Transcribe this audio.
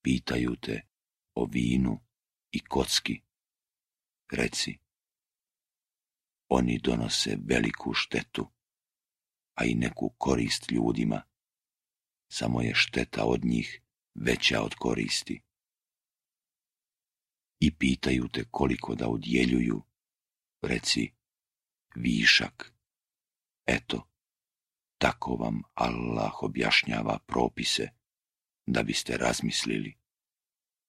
Pitaju te o vinu i kocki. Reci, oni donose veliku štetu, a i neku korist ljudima. Samo je šteta od njih veća od koristi. I pitaju te koliko da udjeljuju. Reci, višak. Eto, tako vam Allah objašnjava propise, da biste razmislili.